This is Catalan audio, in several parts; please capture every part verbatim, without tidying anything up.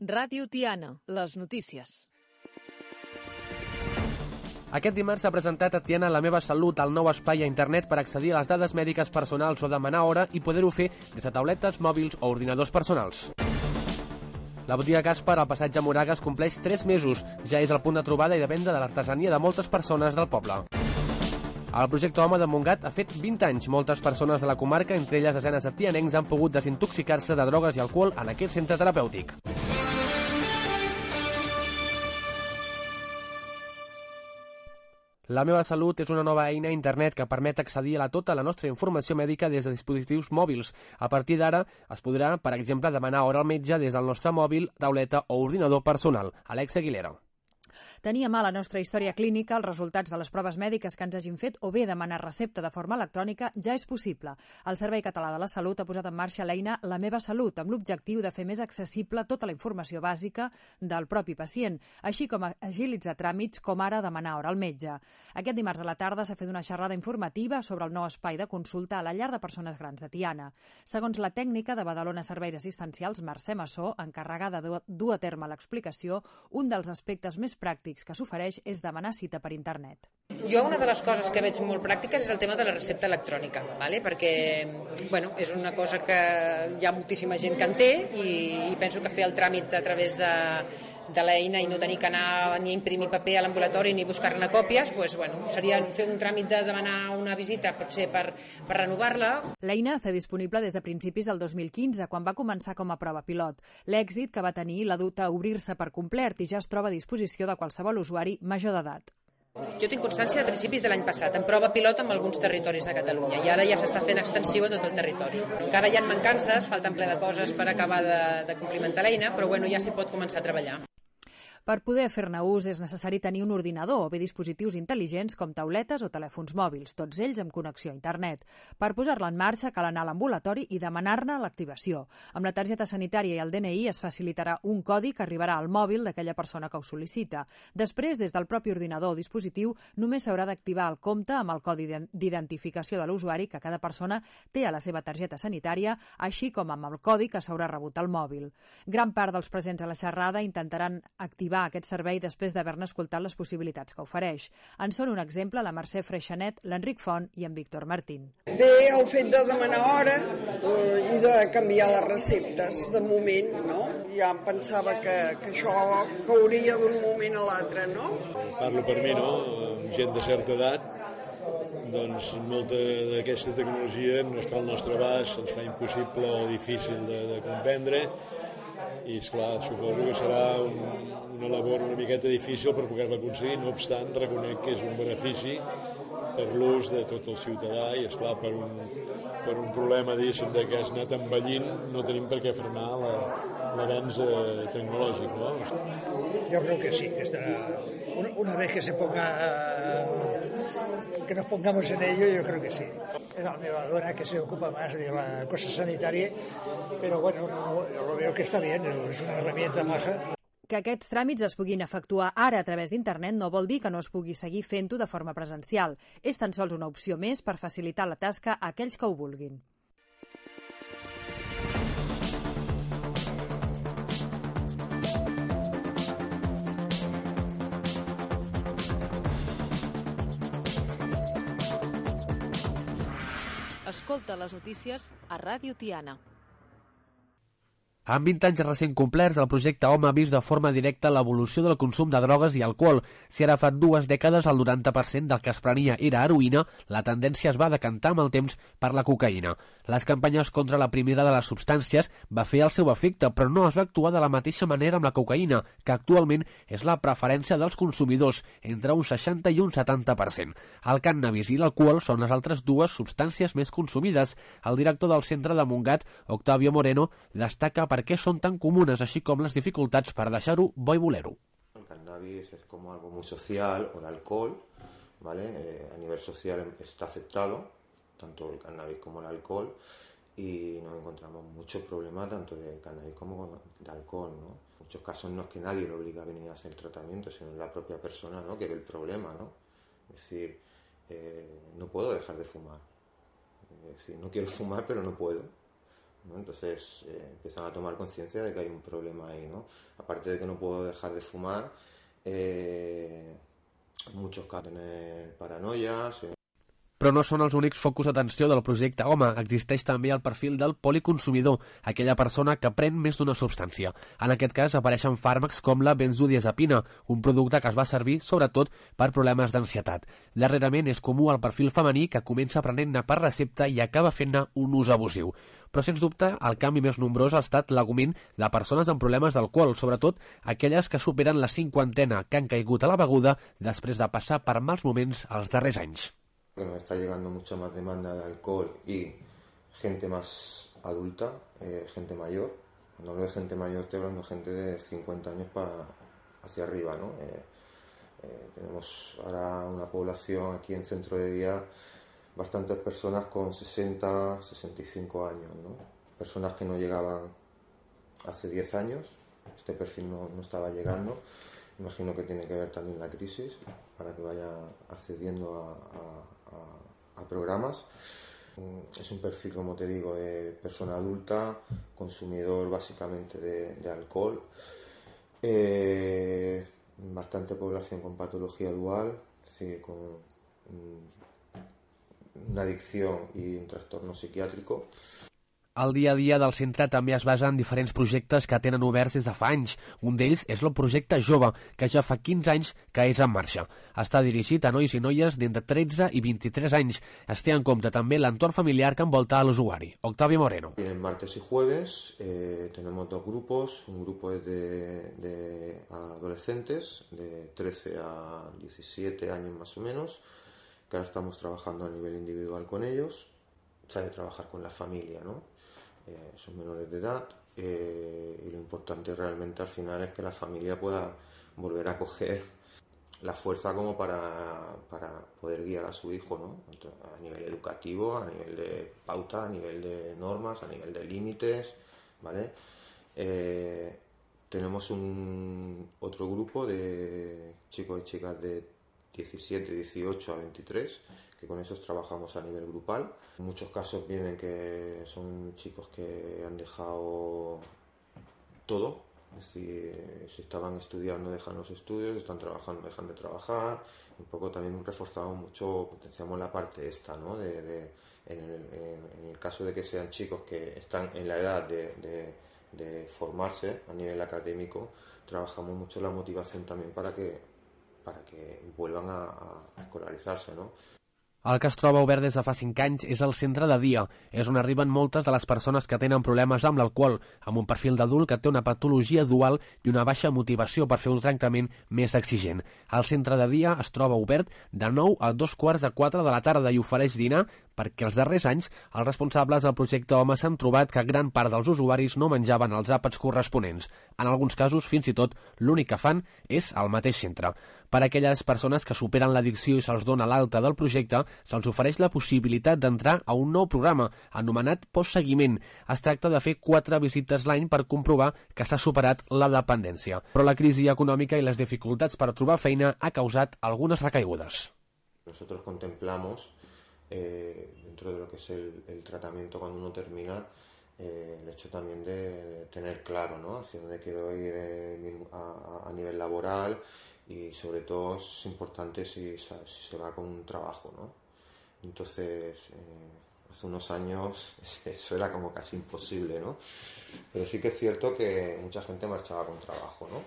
Ràdio Tiana, les notícies. Aquest dimarts s'ha presentat a Tiana La Meva Salut, el nou espai a internet per accedir a les dades mèdiques personals o demanar hora i poder-ho fer des de tauletes, mòbils o ordinadors personals. La botiga Caspar, al passatge Moragas, compleix tres mesos. Ja és el punt de trobada i de venda de l'artesania de moltes persones del poble. El projecte Home de Montgat ha fet vint anys. Moltes persones de la comarca, entre elles desenes de tianencs, han pogut desintoxicar-se de drogues i alcohol en aquest centre terapèutic. La Meva Salut és una nova eina a internet que permet accedir a la tota la nostra informació mèdica des de dispositius mòbils. A partir d'ara es podrà, per exemple, demanar hora al metge des del nostre mòbil, tauleta o ordinador personal. Alexa Aguilera. Teníem a la nostra història clínica els resultats de les proves mèdiques que ens hagin fet o bé demanar recepta de forma electrònica ja és possible. El Servei Català de la Salut ha posat en marxa l'eina La Meva Salut amb l'objectiu de fer més accessible tota la informació bàsica del propi pacient, així com agilitzar tràmits com ara demanar hora al metge. Aquest dimarts a la tarda s'ha fet una xerrada informativa sobre el nou espai de consulta a la llar de persones grans de Tiana. Segons la tècnica de Badalona Serveis Assistencials, Mercè Massó, encarregada de dur a terme l'explicació, un dels aspectes més pràctics que s'ofereix és demanar cita per internet. Jo una de les coses que veig molt pràctiques és el tema de la recepta electrònica, ¿vale? Perquè bueno, és una cosa que hi ha moltíssima gent que en té i, i penso que fer el tràmit a través de, de l'eina i no tenir que anar ni a imprimir paper a l'ambulatori ni buscar-ne còpies, pues, bueno, seria fer un tràmit de demanar una visita potser per, per renovar-la. L'eina està disponible des de principis del dos mil quinze, quan va començar com a prova pilot. L'èxit que va tenir l'ha dut a obrir-se per complet i ja es troba a disposició de qualsevol usuari major d'edat. Jo tinc constància de principis de l'any passat, en prova pilot en alguns territoris de Catalunya, i ara ja s'està fent extensiu a tot el territori. Encara hi ha mancances, falten ple de coses per acabar de, de complimentar l'eina, però bueno, ja s'hi pot començar a treballar. Per poder fer-ne ús és necessari tenir un ordinador o bé dispositius intel·ligents com tauletes o telèfons mòbils, tots ells amb connexió a internet. Per posar-la en marxa cal anar a l'ambulatori i demanar-ne l'activació. Amb la targeta sanitària i el D N I es facilitarà un codi que arribarà al mòbil d'aquella persona que ho sol·licita. Després, des del propi ordinador o dispositiu, només s'haurà d'activar el compte amb el codi d'identificació de l'usuari que cada persona té a la seva targeta sanitària, així com amb el codi que s'haurà rebut al mòbil. Gran part dels presents a la xerrada intentaran activar aquest servei després d'haver-ne escoltat les possibilitats que ofereix. En són un exemple la Mercè Freixanet, l'Enric Font i en Víctor Martín. Bé, el fet de demanar hora eh, i de canviar les receptes de moment, no? Ja em pensava que, que això cauria d'un moment a l'altre, no? Parlo per mi, no? Amb gent de certa edat, doncs molta d'aquesta tecnologia no està al nostre abast, ens fa impossible o difícil de, de comprendre, i esclar, suposo que serà un, una labor una miqueta difícil per poder-la aconseguir. No obstant, reconec que és un benefici per l'ús de tot el ciutadà i, esclar, per un, per un problema, diguéssim, de que has anat envellint, no tenim per què frenar l'avenç tecnològic, no? Yo creo que sí, que está, una, una vez que se ponga, que nos pongamos en ello, yo creo que sí. Es la meva dona que se ocupa más de la cosa sanitaria, pero bueno, no, no, yo lo veo que está bien, es una herramienta maja. Que aquests tràmits es puguin efectuar ara a través d'internet no vol dir que no es pugui seguir fent-ho de forma presencial. És tan sols una opció més per facilitar la tasca a aquells que ho vulguin. Escolta les notícies a Ràdio Tiana. Amb vint anys recent complerts, el projecte Home ha vist de forma directa l'evolució del consum de drogues i alcohol. Si ara fa dues dècades el noranta per cent del que es prenia era heroïna, la tendència es va decantar amb el temps per la cocaïna. Les campanyes contra la primera de les substàncies va fer el seu efecte, però no es va actuar de la mateixa manera amb la cocaïna, que actualment és la preferència dels consumidors, entre un seixanta i un setanta per cent. El cànnabis i l'alcohol són les altres dues substàncies més consumides. El director del centre de Montgat, Octavio Moreno, destaca per qué son tan comunes, así como las dificultades para deixar-ho bo i voler-ho. El cannabis es como algo muy social, o el alcohol, ¿vale? Eh, a nivel social está aceptado, tanto el cannabis como el alcohol, y nos encontramos muchos problemas tanto de cannabis como de alcohol, ¿no? En muchos casos no es que nadie lo obliga a venir a hacer el tratamiento, sino la propia persona, ¿no?, que ve el problema, ¿no? Es decir, eh, no puedo dejar de fumar. Es decir, no quiero fumar, pero no puedo. ¿no? Entonces eh, empiezan a tomar conciencia de que hay un problema ahí, ¿no? Aparte de que no puedo dejar de fumar, eh, muchos casos tienen paranoias. Eh. Però no són els únics focus d'atenció del projecte Home. Existeix també el perfil del policonsumidor, aquella persona que pren més d'una substància. En aquest cas apareixen fàrmacs com la benzodiazepina, un producte que es va servir sobretot per problemes d'ansietat. Darrerament és comú el perfil femení que comença prenent-ne per recepta i acaba fent-ne un ús abusiu. Però, sens dubte, el canvi més nombrós ha estat l'augment de persones amb problemes d'alcohol, sobretot aquelles que superen la cinquantena, que han caigut a la beguda després de passar per mals moments els darrers anys. Que nos está llegando mucha más demanda de alcohol y gente más adulta, eh, gente mayor. Cuando hablo de gente mayor estoy hablando de gente de cincuenta años para hacia arriba, ¿no? Eh, eh, tenemos ahora una población aquí en Centro de Día, bastantes personas con sesenta, sesenta y cinco años, ¿no? Personas que no llegaban hace diez años, este perfil no, no estaba llegando. Imagino que tiene que ver también la crisis para que vaya accediendo a, a, a, a programas. Es un perfil, como te digo, de persona adulta, consumidor básicamente de, de alcohol, eh, bastante población con patología dual, es decir, con una adicción y un trastorno psiquiátrico. El dia a dia del centre també es basa en diferents projectes que tenen oberts des de fa anys. Un d'ells és el projecte Jove, que ja fa quinze anys que és en marxa. Està dirigit a nois i noies d'entre tretze i vint-i-tres anys. Es té en compte també l'entorn familiar que envolta a l'usuari. Octavio Moreno. Vienen martes y jueves, eh, tenemos dos grupos. Un grupo es de, de adolescentes, de trece a diecisiete años más o menos, que ahora estamos trabajando a nivel individual con ellos. Se ha de trabajar con la familia, ¿no? Eh, son menores de edad eh, y lo importante realmente al final es que la familia pueda volver a coger la fuerza como para, para poder guiar a su hijo, ¿no? A nivel educativo, a nivel de pauta, a nivel de normas, a nivel de límites, ¿vale? Eh, tenemos un otro grupo de chicos y chicas de diecisiete, dieciocho a veintitrés, que con esos trabajamos a nivel grupal. En muchos casos vienen que son chicos que han dejado todo, es decir, si estaban estudiando dejan los estudios, están trabajando dejan de trabajar. Un poco también reforzamos mucho, potenciamos la parte esta, ¿no? De, de, en, el, en, en el caso de que sean chicos que están en la edad de, de, de formarse a nivel académico, trabajamos mucho la motivación también para que, para que vuelvan a, a escolarizarse, ¿no? El que es troba obert des de fa cinc anys és el centre de dia. És on arriben moltes de les persones que tenen problemes amb l'alcohol, amb un perfil d'adult que té una patologia dual i una baixa motivació per fer un tractament més exigent. El centre de dia es troba obert de nou a dos quarts de quatre de la tarda i ofereix dinar perquè els darrers anys els responsables del projecte Home s'han trobat que gran part dels usuaris no menjaven els àpats corresponents. En alguns casos, fins i tot, l'únic que fan és al mateix centre. Per a aquelles persones que superen l'addicció i se'ls dona l'alta del projecte, se'ls ofereix la possibilitat d'entrar a un nou programa, anomenat postseguiment. Es tracta de fer quatre visites l'any per comprovar que s'ha superat la dependència. Però la crisi econòmica i les dificultats per trobar feina ha causat algunes recaigudes. Nosotros contemplamos, eh, dentro de lo que es el, el tratamiento cuando uno termina, eh, el hecho también de tener claro, ¿no? Hacia dónde quiero ir eh, a, a nivel laboral. Y sobre todo es importante si, si se va con un trabajo, ¿no? Entonces, eh, hace unos años eso era como casi imposible, ¿no? Pero sí que es cierto que mucha gente marchaba con trabajo, ¿no?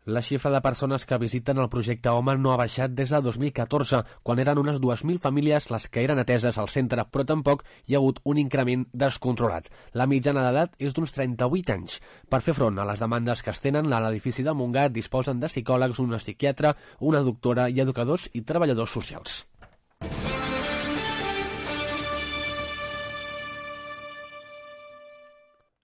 La xifra de persones que visiten el projecte Home no ha baixat des de dos mil catorze, quan eren unes dues mil famílies les que eren ateses al centre, però tampoc hi ha hagut un increment descontrolat. La mitjana d'edat és d'uns trenta-vuit anys. Per fer front a les demandes que es tenen, a l'edifici de Montgat disposen de psicòlegs, una psiquiatra, una doctora i educadors i treballadors socials.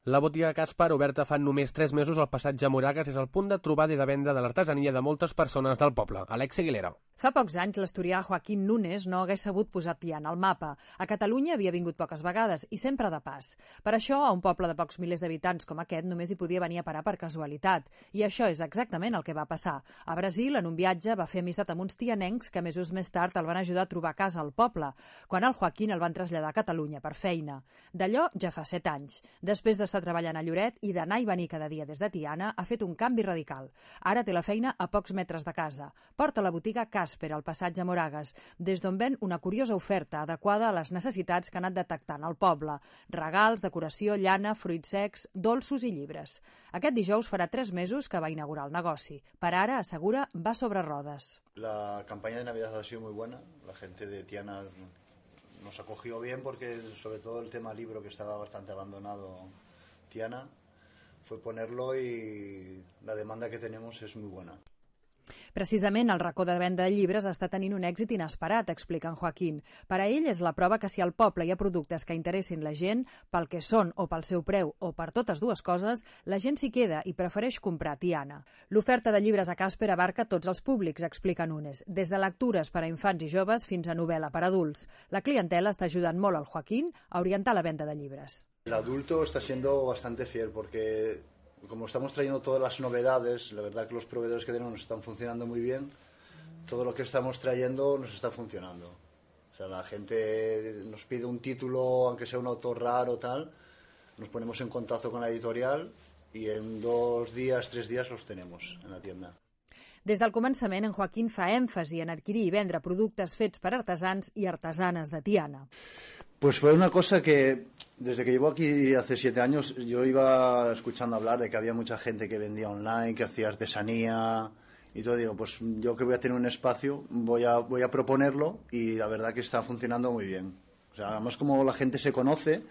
La botiga Caspar, oberta fa només tres mesos al passatge Moragas, és el punt de trobada i de venda de l'artesania de moltes persones del poble. Alexia Aguilera. Fa pocs anys, l'asturià Joaquín Núñez no hagués sabut posar Tiana al mapa. A Catalunya havia vingut poques vegades i sempre de pas. Per això, a un poble de pocs milers d'habitants com aquest només hi podia venir a parar per casualitat. I això és exactament el que va passar. A Brasil, en un viatge, va fer amistat amb uns tianencs que mesos més tard el van ajudar a trobar casa al poble, quan el Joaquín el van traslladar a Catalunya per feina. D'allò ja fa set anys. Després d'estar treballant a Lloret i d'anar i venir cada dia des de Tiana, ha fet un canvi radical. Ara té la feina a pocs metres de casa. Porta la botiga Casper al passatge Moragas, des d'on ven una curiosa oferta adequada a les necessitats que ha anat detectant al poble. Regals, decoració, llana, fruits secs, dolços i llibres. Aquest dijous farà tres mesos que va inaugurar el negoci. Per ara, assegura, va sobre rodes. La campaña de Navidad ha sido muy buena. La gente de Tiana nos acogió bien porque sobre todo el tema libro, que estaba bastante abandonado Tiana, fue ponerlo y la demanda que tenemos es muy buena. Precisament el racó de venda de llibres està tenint un èxit inesperat, explica en Joaquín. Per a ell és la prova que si al poble hi ha productes que interessin la gent, pel que són o pel seu preu o per totes dues coses, la gent s'hi queda i prefereix comprar Tiana. L'oferta de llibres a Casper abarca tots els públics, explica Núñez, des de lectures per a infants i joves fins a novel·la per a adults. La clientela està ajudant molt al Joaquín a orientar la venda de llibres. El adulto está siendo bastante fiel porque como estamos trayendo todas las novedades, la verdad que los proveedores que tenemos nos están funcionando muy bien, todo lo que estamos trayendo nos está funcionando. O sea, la gente nos pide un título, aunque sea un autor raro o tal, nos ponemos en contacto con la editorial y en dos días, tres días los tenemos en la tienda. Des del començament, en Joaquín fa èmfasi en adquirir i vendre productes fets per artesans i artesanes de Tiana. Pues fue una cosa que, desde que llevo aquí hace siete años, yo iba escuchando hablar de que había mucha gente que vendía online, que hacía artesanía y todo. Digo, pues yo que voy a tener un espacio, voy a, voy a proponerlo y la verdad que está funcionando muy bien. O sea, además como la gente se conoce,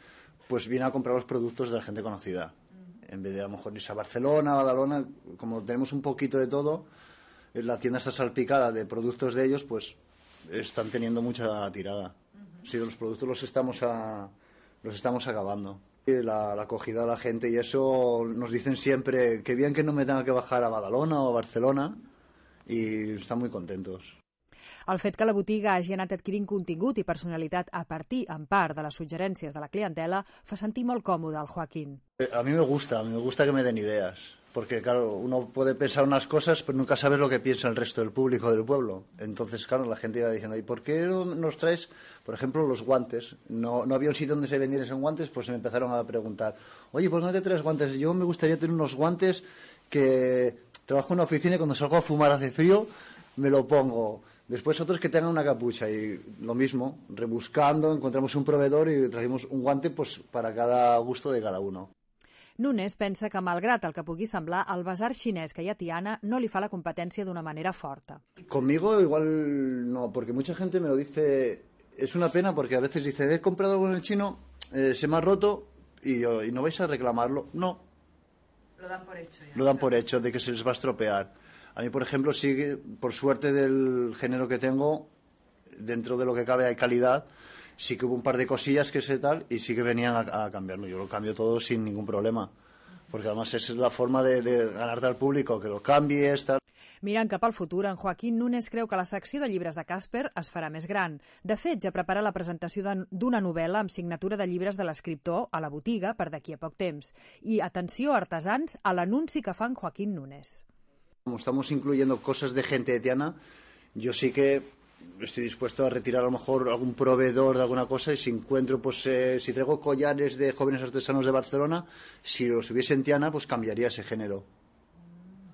pues viene a comprar los productos de la gente conocida. En vez de a lo mejor irse a Barcelona, a Badalona, como tenemos un poquito de todo, la tienda está salpicada de productos de ellos, pues están teniendo mucha tirada. Sí, los productos los estamos a, los estamos acabando. La, la acogida de la gente y eso nos dicen siempre que bien que no me tenga que bajar a Badalona o a Barcelona y están muy contentos. El fet que la botiga hagi anat adquirint contingut i personalitat a partir, en part, de les suggerències de la clientela fa sentir molt còmode al Joaquín. A mí me gusta, a mí me gusta que me den ideas. Porque, claro, uno puede pensar unas cosas, pero nunca sabes lo que piensa el resto del público del pueblo. Entonces, claro, la gente iba diciendo, ¿y por qué no nos traes, por ejemplo, los guantes? No, no había un sitio donde se vendieran guantes, pues me empezaron a preguntar, oye, ¿por qué no te traes guantes? Yo me gustaría tener unos guantes que trabajo en una oficina y cuando salgo a fumar hace frío, me lo pongo. Después otros que tengan una capucha y lo mismo, rebuscando, encontramos un proveedor y trajimos un guante pues, para cada gusto de cada uno. Núñez pensa que, malgrat el que pugui semblar, el basar xinès que hi ha a Tiana no li fa la competència d'una manera forta. Conmigo igual no, porque mucha gente me lo dice, es una pena porque a veces dice, he comprado algo en el chino, eh, se me ha roto y, y no vais a reclamarlo. No. Lo dan por hecho ya. Lo dan por hecho de que se les va a estropear. A mí, por ejemplo, sí, por suerte del género que tengo, dentro de lo que cabe hay calidad. Sí que hubo un par de cosillas que sé tal y sí que venían a, a cambiarlo. Yo lo cambio todo sin ningún problema. Porque además esa es la forma de, de ganarte al público, que lo canvies, tal. Mirant cap al futur, en Joaquín Núñez creu que la secció de llibres de Casper es farà més gran. De fet, ja prepara la presentació d'una novel·la amb signatura de llibres de l'escriptor a la botiga per d'aquí a poc temps. I, atenció, artesans, a l'anunci que fa en Joaquín Núñez. Como estamos incluyendo cosas de gente de Tiana, yo sí que estoy dispuesto a retirar a lo mejor algún proveedor de alguna cosa y si encuentro, pues eh, si traigo collares de jóvenes artesanos de Barcelona, si los hubiese en Tiana, pues cambiaría ese género.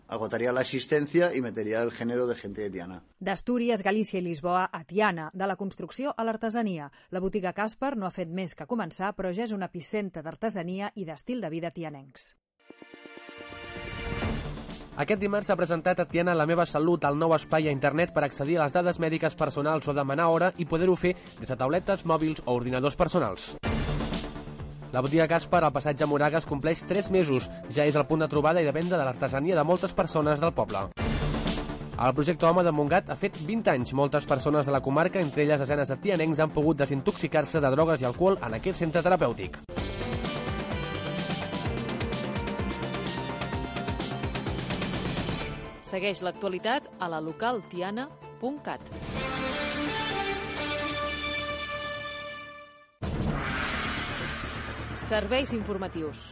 Agotaría la existencia y metería el género de gente de Tiana. D'Astúries, Galícia i Lisboa a Tiana, de la construcció a l'artesania. La botiga Casper no ha fet més que començar, però ja és un epicentre d'artesania i d'estil de vida tianencs. Aquest dimarts s'ha presentat a Tiana La meva salut, el nou espai a internet per accedir a les dades mèdiques personals o demanar hora i poder-ho fer des de tauletes, mòbils o ordinadors personals. La botiga Caspar, al passatge Moragas, compleix tres mesos. Ja és el punt de trobada i de venda de l'artesania de moltes persones del poble. El projecte Home de Montgat ha fet vint anys. Moltes persones de la comarca, entre elles desenes de tianencs, han pogut desintoxicar-se de drogues i alcohol en aquest centre terapèutic. Segueix l'actualitat a la local tiana punt cat. Serveis informatius.